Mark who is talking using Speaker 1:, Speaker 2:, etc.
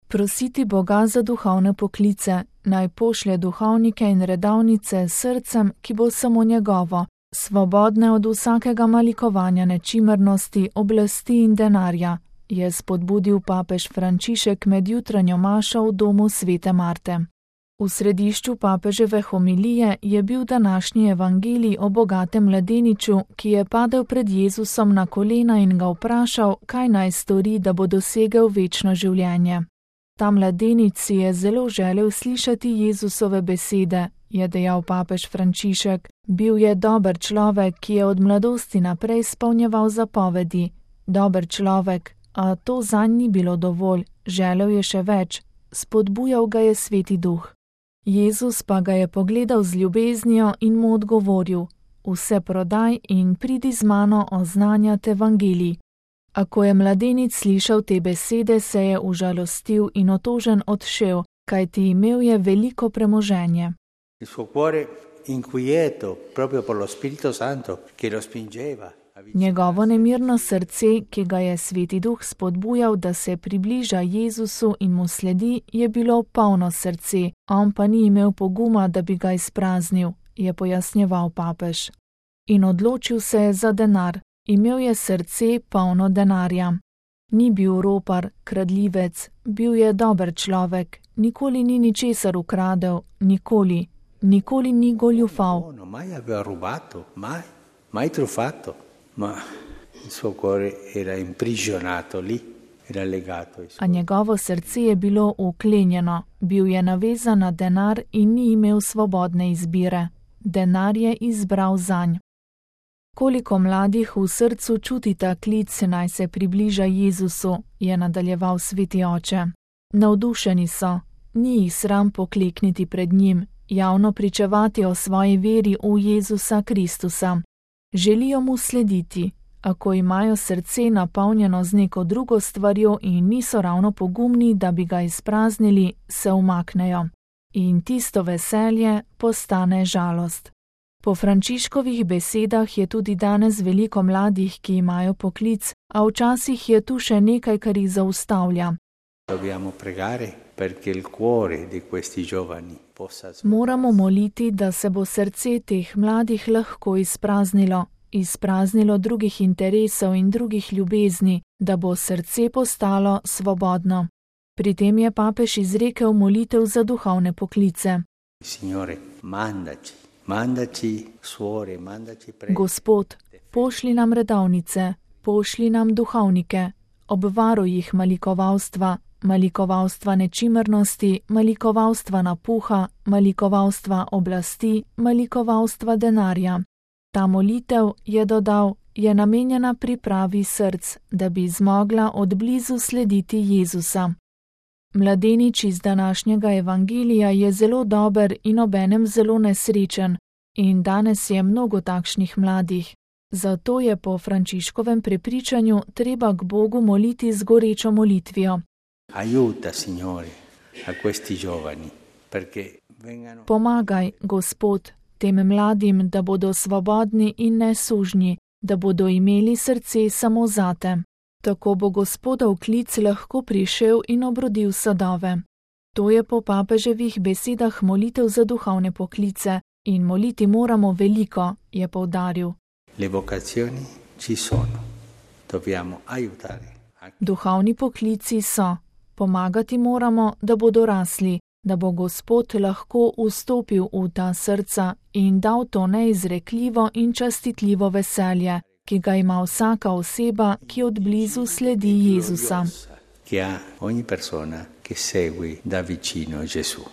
Speaker 1: Prositi Boga za duhovne poklice, naj pošlje duhovnike in redavnice s srcem, ki bo samo njegovo, svobodne od vsakega malikovanja nečimrnosti, oblasti in denarja, je spodbudil papež Frančišek med jutranjo mašo v domu svete Marte. V središču papeževe homilije je bil današnji evangelij o bogatem mladeniču, ki je padel pred Jezusom na kolena in ga vprašal, kaj naj stori, da bo dosegel večno življenje. Ta mladenič si je zelo želel slišati Jezusove besede, je dejal papež Frančišek. Bil je dober človek, ki je od mladosti naprej izpolnjeval zapovedi. Dober človek, a to zanj ni bilo dovolj, želel je še več, spodbujal ga je Sveti Duh. Jezus pa ga je pogledal z ljubeznijo in mu odgovoril: vse prodaj in pridi z mano oznanjati evangelij. A ko je mladenič slišal te besede, se je užalostil in otožen odšel, kajti imel je veliko premoženje.
Speaker 2: Il suo cuore inquieto proprio per lo Spirito Santo che lo spingeva.
Speaker 1: Njegovo nemirno srce, ki ga je Sveti Duh spodbujal, da se približa Jezusu in mu sledi, je bilo polno srce, on pa ni imel poguma, da bi ga izpraznil, je pojasnjeval papež. In odločil se je za denar, imel je srce polno denarja. Ni bil ropar, kradljivec, bil je dober človek, nikoli ni ničesar ukradel, nikoli ni goljufal.
Speaker 2: Mai aveva rubato, mai truffato. Ma il suo cuore era imprigionato lì, era legato.
Speaker 1: A njegovo srce je bilo uklenjeno, bil je navezan na denar in ni imel svobodne izbire. Denar je izbral zanj. Koliko mladih v srcu čuti ta klic, naj se približa Jezusu, je nadaljeval Sveti Oče. Navdušeni so, ni jih sram poklekniti pred njim, javno pričevati o svoji veri v Jezusa Kristusa. Želijo mu slediti, a ko imajo srce napolnjeno z neko drugo stvarjo in niso ravno pogumni, da bi ga izpraznili, se umaknejo. In tisto veselje postane žalost. Po Frančiškovih besedah je tudi danes veliko mladih, ki imajo poklic, a včasih je tu še nekaj, kar jih zaustavlja. Moramo moliti, da se bo srce teh mladih lahko izpraznilo drugih interesov in drugih ljubezni, da bo srce postalo svobodno. Pri tem je papež izrekel molitev za duhovne poklice. Gospod, pošli nam redovnice, pošli nam duhovnike, obvaruj jih malikovalstva nečimrnosti, malikovalstva napuha, malikovalstva oblasti, malikovalstva denarja. Ta molitev, je dodal, je namenjena pripravi src, da bi zmogla od blizu slediti Jezusa. Mladenič iz današnjega evangelija je zelo dober in obenem zelo nesrečen, in danes je mnogo takšnih mladih. Zato je po Frančiškovem prepričanju treba k Bogu moliti z gorečo molitvijo.
Speaker 2: Aiuta, Signore, a questi giovani, perché vengano...
Speaker 1: Pomagaj, Gospod, tem mladim, da bodo svobodni in nesužnji, da bodo imeli srce samo zate. Tako bo Gospodov klic lahko prišel in obrodil sadove. To je po papeževih besedah molitev za duhovne poklice in moliti moramo veliko, je poudaril.
Speaker 2: Le vocazioni ci sono. Dobbiamo aiutare.
Speaker 1: Duhovni poklici so. Pomagati moramo, da bodo rasli, da bo Gospod lahko vstopil v ta srca in dal to neizrekljivo in častitljivo veselje, ki ga ima vsaka oseba, ki od blizu sledi Jezusa.
Speaker 2: Che ha ogni persona che segue da vicino Gesù.